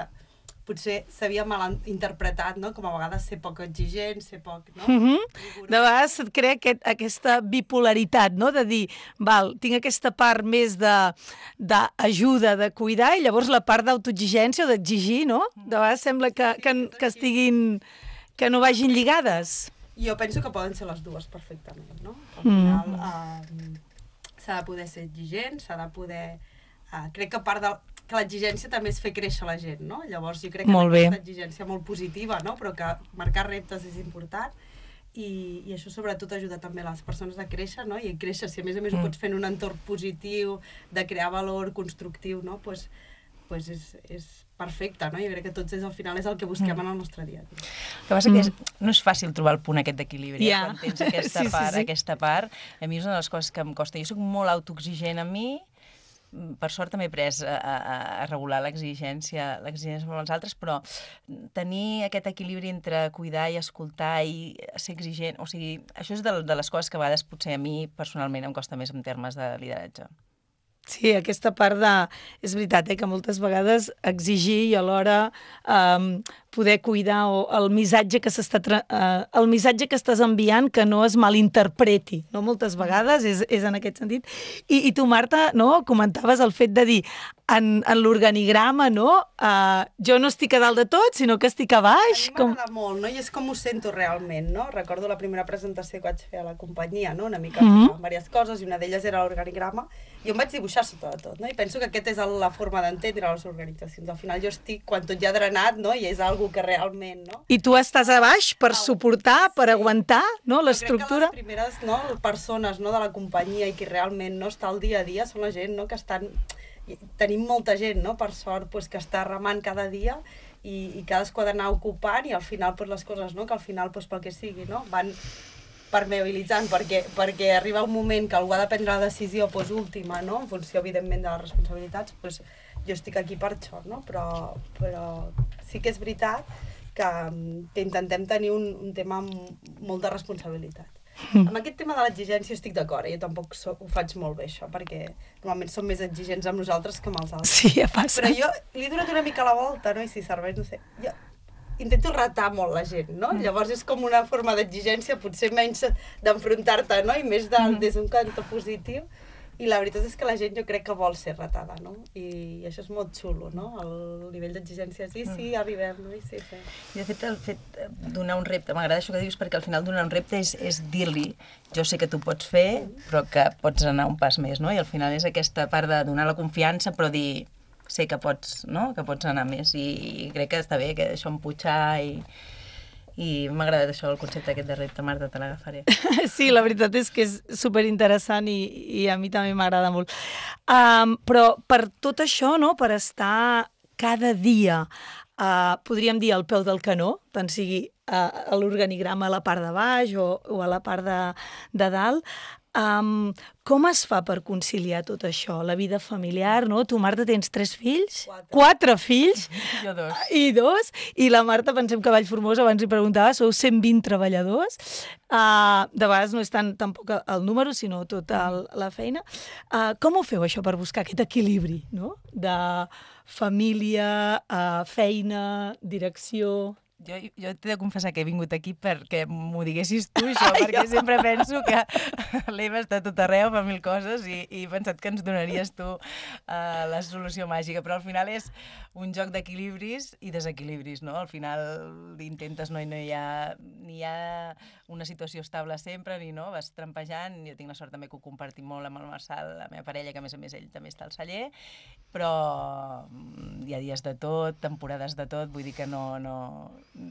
potser s'havia mal interpretat, no?, com a vegades ser poc exigent, ser poc, no? Mm-hmm. De vegades et crea aquest, aquesta bipolaritat, no?, de dir, val, tinc aquesta part més d'ajuda, de, de cuidar, i llavors la part d'autoexigència o d'exigir, no? De vegades sembla que, que, que estiguin, que no vagin lligades. Jo penso que poden ser les dues perfectament, no? Al final, mm. eh, s'ha de poder ser exigent, s'ha de poder... Uh, crec que part de... que l'exigència també és fer créixer la gent, no? Llavors jo crec que molt aquesta exigència molt positiva, no?, però que marcar reptes és important i, i això sobretot ajuda també les persones a créixer, no? I créixer, si a més a més mm. ho pots fer en un entorn positiu, de crear valor constructiu, no?, pues, pues és, és perfecte, no? Jo crec que tots és, al final és el que busquem mm. en el nostre dia. El que passa que és, no és fàcil trobar el punt aquest d'equilibri, yeah. quan tens aquesta sí, part, sí, sí. aquesta part. A mi és una de les coses que em costa. Jo soc molt autoexigent a mi, per sort també he après a, a, a regular l'exigència l'exigència amb els altres, però tenir aquest equilibri entre cuidar i escoltar i ser exigent, o sigui, això és de, de les coses que a vegades potser a mi personalment em costa més en termes de lideratge. Sí, aquesta part de... És veritat, eh, que moltes vegades exigir i alhora um, poder cuidar o el missatge que s'està tra... uh, el missatge que estàs enviant que no es malinterpreti, no? Moltes vegades és, és en aquest sentit. I, i tu, Marta, no? Comentaves el fet de dir en, en l'organigrama, no? Uh, jo no estic a dalt de tot, sinó que estic a baix. A mi m'agrada com... molt, no? I és com ho sento realment, no? Recordo la primera presentació que vaig fer a la companyia, no? Una mica mm-hmm. diverses coses, i una d'elles era l'organigrama, i em vaig dibuixar sota de tot, no? I penso que aquesta és la forma d'entendre les organitzacions. Al final jo estic, quan tot ja ha drenat, no? I és algo que realment, no? I tu estàs a baix per suportar, per sí. aguantar, no? L'estructura. Jo crec que les primeres, no, persones, no, de la companyia i que realment no està al dia a dia són la gent, no, que estan... Tenim molta gent, no, per sort, pues, que està remant cada dia i, i cadascú ha d'anar ocupant i al final pues, les coses, no, que al final pues, pel que sigui, no, van permeabilitzant perquè, perquè arriba un moment que algú ha de prendre la decisió pues, última, no, en funció evidentment de les responsabilitats, pues, jo estic aquí per això, no, però, però sí que és veritat que, que intentem tenir un, un tema amb molt de responsabilitat. Mm. Amb aquest tema de l'exigència estic d'acord, eh? Jo tampoc so, ho faig molt bé, això, perquè normalment som més exigents amb nosaltres que amb els altres. Sí, ja passa. Però jo li he donat una mica la volta, no? I si serveix, no sé, jo intento retar molt la gent, no? Mm. Llavors és com una forma d'exigència, potser menys d'enfrontar-te, no? I més de, mm. des d'un cantó positiu. I la veritat és que la gent jo crec que vol ser retada, no? I això és molt xulo, no? El nivell d'exigència, sí, sí, arribem, no? I sí, sí. I de fet, el fet de donar un repte, m'agrada això que dius, perquè al final donar un repte és, és dir-li, jo sé que tu pots fer, però que pots anar un pas més, no? I al final és aquesta part de donar la confiança, però dir, sé que pots, no? Que pots anar més, i, i crec que està bé, que això empujar i... I m'ha agradat això, el concepte aquest de repte, Marta, te l'agafaré. Sí, la veritat és que és superinteressant i, i a mi també m'agrada molt. Um, però per tot això, no, per estar cada dia, uh, podríem dir, al peu del canó, tant sigui uh, a l'organigrama a la part de baix o, o a la part de, de dalt, Um, com es fa per conciliar tot això? La vida familiar, no? Tu, Marta, tens tres fills? Quatre. Quatre fills? Jo dos. I dos? I la Marta, pensem que a Vallformosa, abans li preguntava, sou cent vint treballadors. Uh, de vegades no és tant tampoc el número, sinó tota el, la feina. Uh, com ho feu, això, per buscar aquest equilibri, no? De família, uh, feina, direcció... Jo, jo t'he de confessar que he vingut aquí perquè m'ho diguessis tu, això, perquè sempre penso que l'Eva està a tot arreu, fa mil coses, i, i he pensat que ens donaries tu uh, la solució màgica, però al final és un joc d'equilibris i desequilibris, no? Al final intentes, no, i no hi ha, ni hi ha una situació estable sempre, ni no, vas trampejant. Jo tinc la sort també que ho compartim molt amb el Marçal, la meva parella, que a més a més ell també està al celler, però hi ha dies de tot, temporades de tot, vull dir que no... no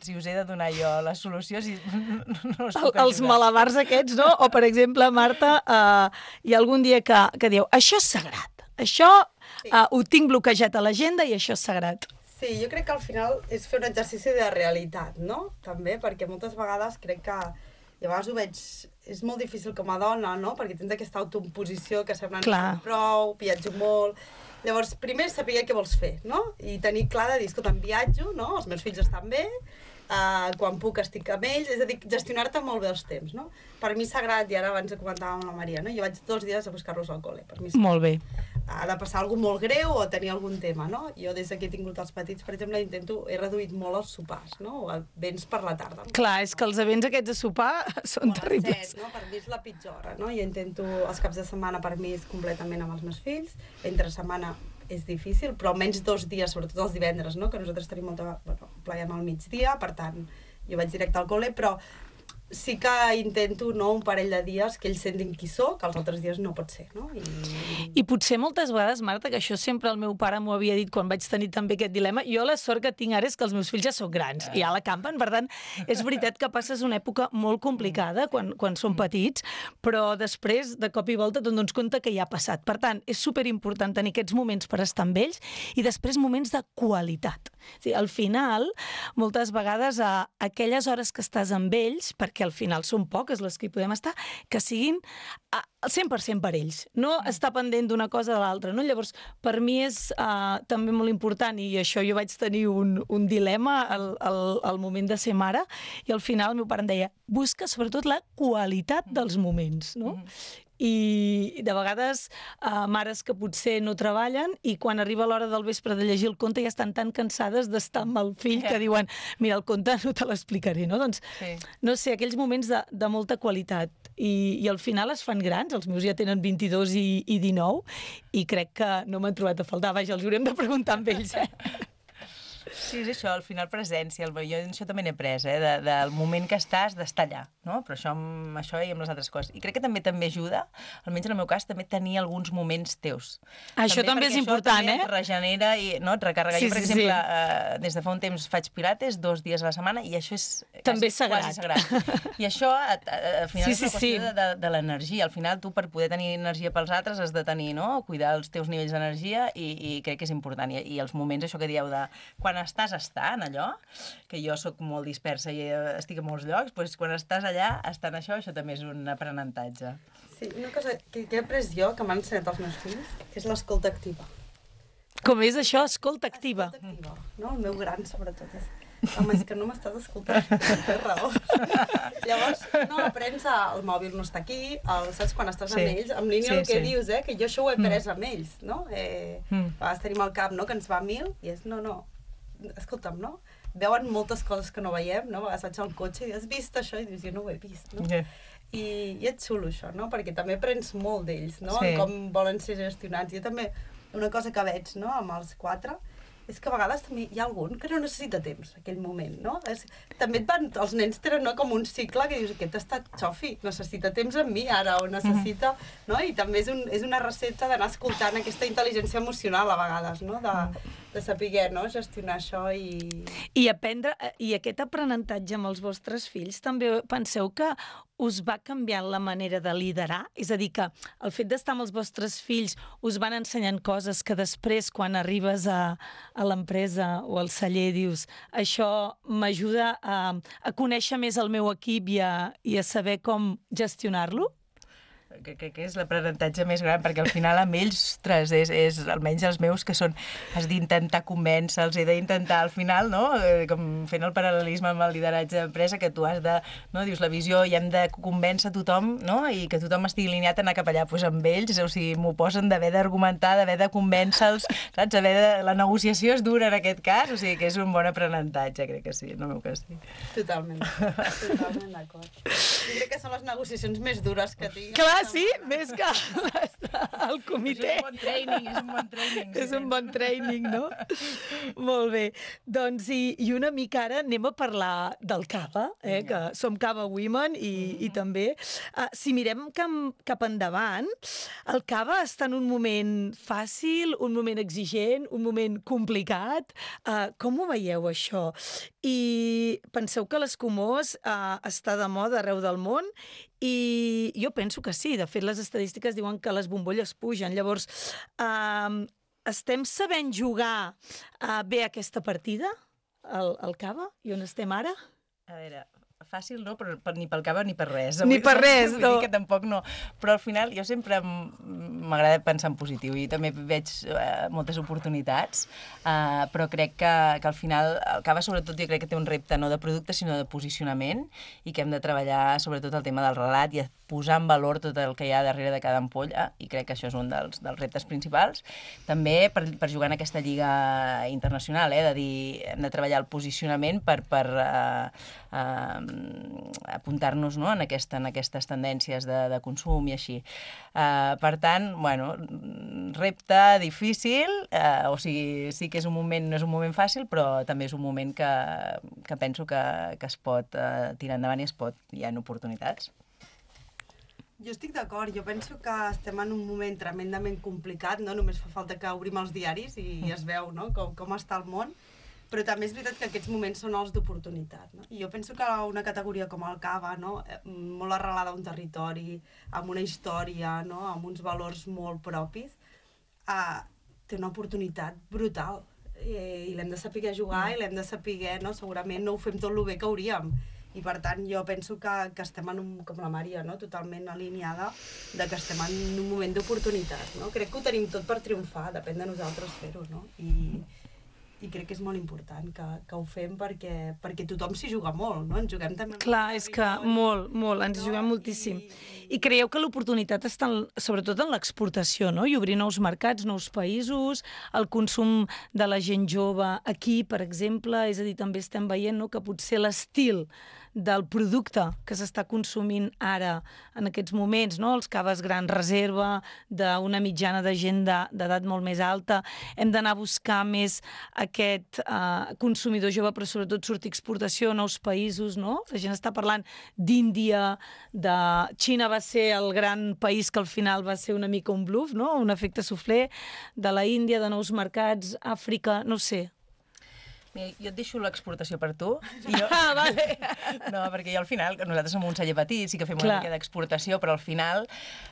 si us he de donar jo la solució, si no us puc ajudar. Els malabars aquests, no? O, per exemple, Marta, uh, hi ha algun dia que, que diu, això és sagrat, això sí. uh, ho tinc bloquejat a l'agenda i això és sagrat. Sí, jo crec que al final és fer un exercici de realitat, no? També, perquè moltes vegades crec que, i a vegades ho veig, és molt difícil com a dona, no? Perquè tens aquesta autoimposició que sembla que no prou, viatjo molt... Llavors, primer saber què vols fer, no? I tenir clar de dir, escolta, em viatjo, no? Els meus fills estan bé, uh, quan puc estic amb ells, és a dir, gestionar-te molt bé els temps, no? Per mi és sagrat, i ara abans comentàvem amb la Maria, no? Jo vaig dos dies a buscar-los al col·le, per mi és molt bé. Ha de passar alguna molt greu o tenir algun tema, no? Jo des que he tingut els petits, per exemple, intento, he reduït molt els sopars, no? O vents per la tarda. No? Clar, és que els events aquests de sopar són o terribles. set, no? Per mi és la pitjor hora, no? Jo intento, els caps de setmana per mi és completament amb els meus fills, entre setmana és difícil, però almenys dos dies, sobretot els divendres, no? Que nosaltres tenim molta... Bueno, pleiem al migdia, per tant, jo vaig directe al col·le, però sí que intento, no, un parell de dies que ells sentin qui sóc, que els altres dies no pot ser, no? I, I potser moltes vegades, Marta, que això sempre el meu pare m'ho havia dit quan vaig tenir també aquest dilema, jo la sort que tinc ara és que els meus fills ja són grans i ja la campen, per tant, és veritat que passes una època molt complicada quan, quan són petits, però després, de cop i volta, te'n dones compte que ja ha passat. Per tant, és superimportant tenir aquests moments per estar amb ells i després moments de qualitat. O sigui, al final, moltes vegades, a aquelles hores que estàs amb ells, perquè al final són poques les que hi podem estar, que siguin al cent per cent per ells. No estar pendent d'una cosa o de l'altra. No? Llavors, per mi és uh, també molt important, i això jo vaig tenir un, un dilema al, al, al moment de ser mare, i al final el meu pare em deia, busca sobretot la qualitat dels moments. No? I de vegades uh, mares que potser no treballen i quan arriba l'hora del vespre de llegir el conte ja estan tan cansades d'estar amb el fill que diuen, mira, el conte no te l'explicaré, no? Doncs, sí. no sé, aquells moments de, de molta qualitat i, i al final es fan grans, els meus ja tenen vint-i-dos i, i dinou i crec que no m'han trobat a faltar, vaja, els haurem de preguntar amb ells, eh? Sí, és això, al final presència. Jo això també n'he pres, eh? De, del moment que estàs, d'estar allà, no? Però això amb això i amb les altres coses. I crec que també també ajuda, almenys en el meu cas, també tenir alguns moments teus. Això també, també és important, eh? eh? Et regenera i no, et recarrega. Sí, jo, per sí, exemple, sí. eh, des de fa un temps faig pilates dos dies a la setmana i això és també quasi, sagrat. quasi sagrat. I això, al final, sí, és una sí, qüestió sí. de, de, de l'energia. Al final, tu, per poder tenir energia pels altres, has de tenir, no?, cuidar els teus nivells d'energia i, i crec que és important. I, I els moments, això que dieu, de quan estàs estant allò, que jo sóc molt dispersa i estic a molts llocs, doncs quan estàs allà, estant això, això també és un aprenentatge. Sí, una cosa que, que he après jo, que m'han ensenyat els meus fills, és l'escolta activa. Com és això? Escolta activa. Escolta activa, no? El meu gran, sobretot, és... Home, és que no m'estàs escoltant, té raó. Llavors, no, aprens a... El mòbil no està aquí, el, saps, quan estàs sí. amb ells, en línia sí, el que sí. dius, eh, que jo això ho he pres amb ells, no? Eh, mm. A vegades tenim al cap, no?, que ens va a mil, i és, no, no, escolta'm, no? Veuen moltes coses que no veiem, no? A vegades vaig al cotxe i has vist això? I dius, jo no ho he vist, no? Yeah. I, I és xulo això, no? Perquè també aprens molt d'ells, no? Sí. Com volen ser gestionats. Jo també, una cosa que veig, no?, amb els quatre, és que a vegades també hi ha algun que no necessita temps, aquell moment, no? És, també et van, els nens tenen, no, com un cicle que dius, aquest està xofi, necessita temps amb mi ara, o necessita... Mm-hmm. No? I també és, un, és una recepta d'anar escoltant aquesta intel·ligència emocional a vegades, no? De, de saber, no?, gestionar això i... I aprendre, i aquest aprenentatge amb els vostres fills, també penseu que us va canviant la manera de liderar? És a dir, que el fet d'estar amb els vostres fills us van ensenyant coses que després, quan arribes a, a l'empresa o al celler, dius, això m'ajuda a, a conèixer més el meu equip i a, i a saber com gestionar-lo? Crec que és l'aprenentatge més gran, perquè al final amb ells, ostres, és, és almenys els meus, que són, has d'intentar convèncer-los, he d'intentar al final, no?, com fent el paral·lelisme amb el lideratge d'empresa, que tu has de, no?, dius la visió, i hem de convèncer tothom, no?, i que tothom estigui alineat a anar cap allà, doncs amb ells, o sigui, m'ho posen d'haver d'argumentar, d'haver de convèncer-los, saps, haver de... la negociació és dura en aquest cas, o sigui que és un bon aprenentatge, crec que sí, en el meu cas sí. Totalment, totalment d'acord. Jo crec que són les negociacions més dures que tinc. Clar, sí, més que el comitè. És un bon training, és un bon training. Sí. És un bon training, no? Molt bé. Doncs, i, i una mica ara anem a parlar del cava, eh? Que som Cava Women i, i també, uh, si mirem cap, cap endavant, el cava està en un moment fàcil, un moment exigent, un moment complicat. Uh, com ho veieu, això? I penseu que l'Escumós uh, està de moda arreu del món i jo penso que sí. De fet, les estadístiques diuen que les bombolles pugen. Llavors, uh, estem sabent jugar uh, bé aquesta partida, el, el cava, i on estem ara? A veure, fàcil no, però per, ni pel cava ni per res. Ni per res, no. Que tampoc no. Però al final jo sempre m'agrada pensar en positiu i també veig uh, moltes oportunitats, uh, però crec que, que al final el cava sobretot jo crec que té un repte no de producte sinó de posicionament i que hem de treballar sobretot el tema del relat i posar en valor tot el que hi ha darrere de cada ampolla i crec que això és un dels, dels reptes principals. També per, per jugar en aquesta lliga internacional, eh, de dir, hem de treballar el posicionament per, per uh, uh, apuntar-nos, no?, en, aquesta, en aquestes tendències de, de consum i així. Uh, per tant, bueno, repte difícil, uh, o sigui, sí que és un moment, no és un moment fàcil, però també és un moment que, que penso que, que es pot uh, tirar endavant i es pot, hi ha oportunitats. Jo estic d'acord, jo penso que estem en un moment tremendament complicat, no? Només fa falta que obrim els diaris i es veu, no?, com, com està el món, però també és veritat que aquests moments són els d'oportunitat, no? I jo penso que una categoria com el cava, no?, molt arrelada a un territori, amb una història, no?, amb uns valors molt propis, eh, té una oportunitat brutal. I, i l'hem de saber jugar i l'hem de saber, no?, segurament no ho fem tot el bé que hauríem. I per tant jo penso que, que estem en un, com la Maria, no?, totalment alineada de que estem en un moment d'oportunitat, no? Crec que ho tenim tot per triomfar, depèn de nosaltres fer-ho, no? I, i crec que és molt important que, que ho fem perquè, perquè tothom s'hi juga molt, no? Ens juguem també... Clar, és que molt, molt, ens hi juguem moltíssim. I creieu que l'oportunitat està en, sobretot en l'exportació, no? I obrir nous mercats, nous països, el consum de la gent jove aquí, per exemple, és a dir, també estem veient, no?, que potser l'estil del producte que s'està consumint ara, en aquests moments, no?, els caves gran reserva, d'una mitjana de gent d'edat molt més alta, hem d'anar a buscar més aquest eh, consumidor jove, però sobretot sortir a exportació a nous països, no? La gent està parlant d'Índia, de Xina va ser el gran país que al final va ser una mica un bluff, no?, un efecte suflé, de la Índia, de nous mercats, Àfrica, no sé. Mira, jo et deixo l'exportació per tu. Jo... Ah, vale. No, perquè jo al final, nosaltres som un celler petit, sí que fem una mica d'exportació, però al final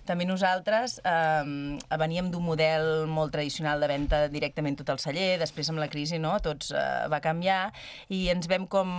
també nosaltres eh, veníem d'un model molt tradicional de venda directament tot el celler, després amb la crisi, no?, tots eh, va canviar i ens vam com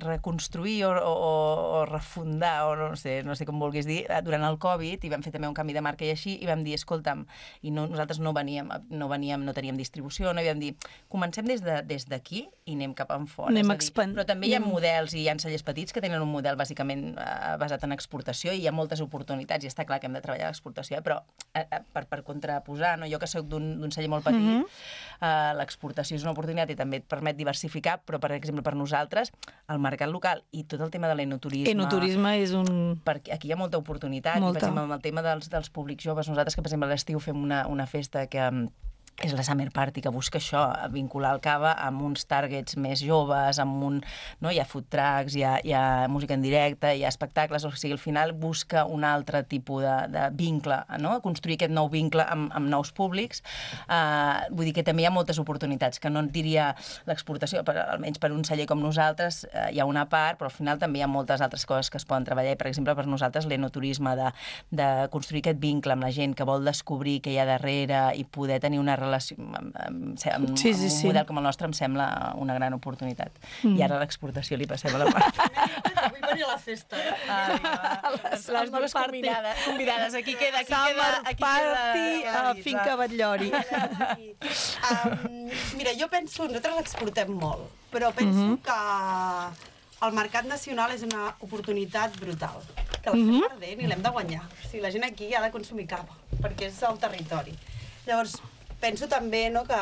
reconstruir o, o, o refundar, o no sé, no sé com vulguis dir, durant el Covid, i vam fer també un canvi de marca i així, i vam dir, escolta'm, i no, nosaltres no veníem, no veníem, no teníem distribució, no, i vam dir, comencem des de, des d'aquí, i anem cap enfora. Anem és a dir, expand... Però també hi ha models i hi ha cellers petits que tenen un model bàsicament eh, basat en exportació i hi ha moltes oportunitats i està clar que hem de treballar l'exportació, eh, però eh, per, per contraposar, no? Jo que soc d'un celler molt petit, mm -hmm. eh, l'exportació és una oportunitat i també et permet diversificar, però per exemple per nosaltres el mercat local i tot el tema de l'enoturisme... Enoturisme és un... Perquè aquí hi ha molta oportunitat, molta. I, per exemple, amb el tema dels, dels públics joves, nosaltres que per exemple a l'estiu fem una, una festa que... és la Summer Party, que busca això, vincular el cava amb uns targets més joves, amb un... No? Hi ha food trucks, hi ha, hi ha música en directe, hi ha espectacles, o sigui, al final busca un altre tipus de, de vincle, no? Construir aquest nou vincle amb, amb nous públics. Uh, vull dir que també hi ha moltes oportunitats, que no et diria l'exportació, però almenys per un celler com nosaltres uh, hi ha una part, però al final també hi ha moltes altres coses que es poden treballar, i per exemple per nosaltres l'enoturisme, de, de construir aquest vincle amb la gent que vol descobrir què hi ha darrere i poder tenir una relació amb, amb, amb, sí, sí, amb un sí. model com el nostre em sembla una gran oportunitat. Mm. I ara l'exportació li passem a la part. Vull venir a la festa. Eh? Ai, les, les dues convidades, convidades. Aquí queda, aquí Summer queda... Aquí Party queda, a Finca Batllori. um, mira, jo penso, nosaltres l'exportem molt, però penso mm -hmm. que el mercat nacional és una oportunitat brutal, que l'estem mm -hmm. perdent i l'hem de guanyar. O sigui, la gent aquí ha de consumir cava, perquè és el territori. Llavors, penso també, no, que,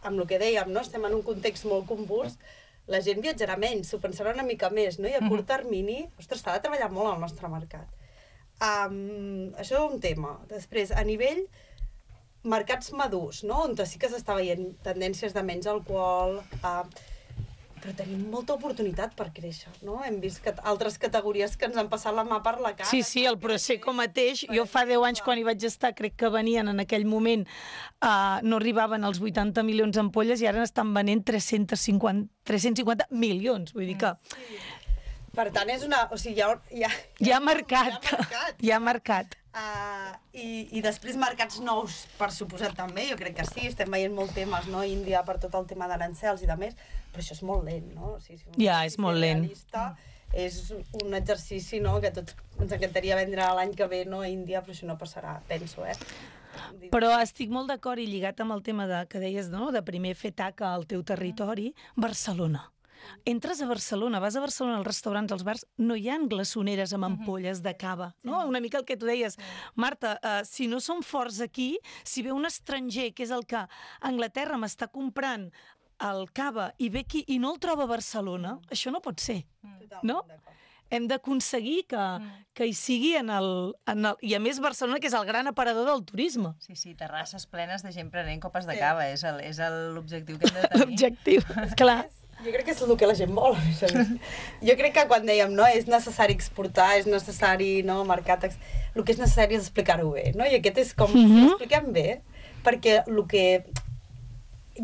amb el que dèiem, no, estem en un context molt convuls, la gent viatjarà menys, s'ho pensarà una mica més, no? I a curt termini, ostres, s'ha de treballar molt al nostre mercat. Um, això és un tema. Després, a nivell mercats madurs, no? On sí que s'està veient tendències de menys alcohol, uh, però tenim molta oportunitat per créixer, no? Hem vist que altres categories que ens han passat la mà per la cara. Sí, sí, el Prosecco mateix. Jo fa deu anys, quan hi vaig estar, crec que venien en aquell moment, uh, no arribaven als vuitanta milions d'ampolles i ara estan venent tres-cents cinquanta milions. Vull dir que... Sí. Per tant, és una... O sigui, hi ha... Hi ha, hi ha mercat. Hi ha mercat. Hi ha mercat. Uh, i, I després mercats nous, per suposat també, jo crec que sí, estem veient molt temes, no? Índia per tot el tema d'arancels i de més, però això és molt lent, no? O sigui, si ja, és molt lent. Realista, és un exercici, no?, que tots ens encantaria vendre l'any que ve, no?, a Índia, però això no passarà, penso, eh? Però estic molt d'acord i lligat amb el tema de, que deies, no?, de primer fer taca al teu territori, Barcelona. Entres a Barcelona, vas a Barcelona als restaurants, als bars, no hi ha glaçoneres amb ampolles de cava, no? Una mica el que tu deies. Marta, uh, si no som forts aquí, si ve un estranger, que és el que a Anglaterra m'està comprant el cava i ve aquí i no el troba a Barcelona, això no pot ser, no? hem d'aconseguir que, que hi sigui en el, en el... I a més Barcelona, que és el gran aparador del turisme. Sí, sí, terrasses plenes de gent prenent copes de cava, és el- és el- l'objectiu que hem de tenir. L'objectiu, clar. Jo crec que és el que la gent vol. a més a més. Jo crec que quan dèiem, no, és necessari exportar, és necessari, no, mercat... Ex... El que és necessari és explicar-ho bé, no? I aquest és com, Mhm. si ho expliquem bé, perquè el que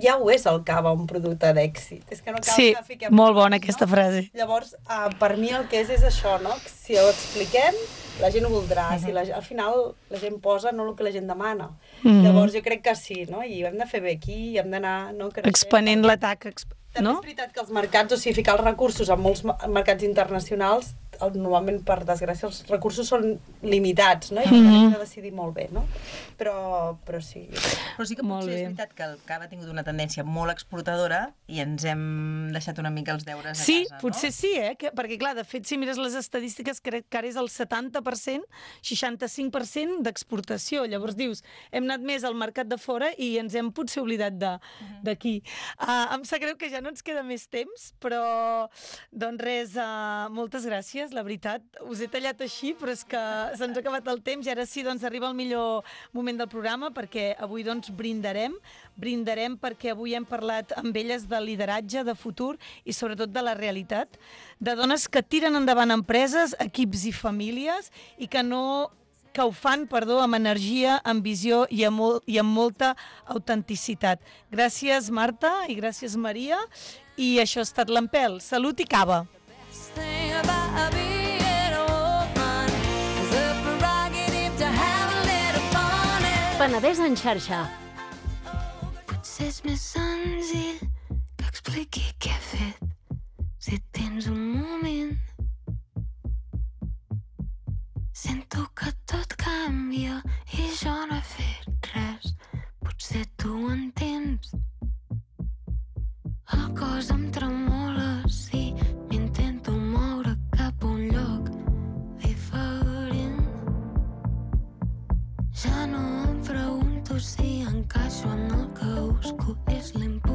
ja ho és el cava, un producte d'èxit. És que no cal Sí, que fiquem... molt bona aquesta frase. Llavors, uh, per mi el que és és això, no? Que si ho expliquem, la gent ho voldrà. Si la, al final la gent posa no el que la gent demana. Mhm. Llavors jo crec que sí, no? I ho hem de fer bé aquí, i hem d'anar... No, creixent. Expanent l'atac, exp... També no? és veritat que els mercats, o sigui, ficar els recursos en molts ma- mercats internacionals, el- normalment, per desgràcia, els recursos són limitats, no? I per tant Mhm. hem de decidir molt bé, no? Però, però sí. Però sí que Molt potser és bé. veritat que el cava ha tingut una tendència molt exportadora i ens hem deixat una mica els deures a Sí, casa, potser sí, eh? Que, perquè, clar, de fet, si mires les estadístiques, crec que ara és el setanta per cent, seixanta-cinc per cent d'exportació. Llavors dius, hem anat més al mercat de fora i ens hem potser oblidat de- d'aquí. Uh, em sap greu que ja no ens queda més temps, però, doncs res, uh, moltes gràcies, la veritat. Us he tallat així, però és que se'ns ha acabat el temps i ara sí, doncs, arriba el millor moment del programa perquè avui, doncs, brindarem. Brindarem perquè avui hem parlat amb elles de lideratge, de futur i sobretot de la realitat, de dones que tiren endavant empreses, equips i famílies i que no que ho fan, perdó, amb energia, amb visió i amb, mol, i amb molta autenticitat. Gràcies, Marta, i gràcies, Maria. I això ha estat l'Empel. Salut i cava. Penedès en xarxa. Potser és més senzill que expliqui què he fet, si tens un moment. Sento que tot canvia i jo no he fet res, potser tu ho entens. El cos em tremola, sí, m'intento moure cap a un lloc diferent. Ja no em pregunto si encaixo en el que busco, és l'impuls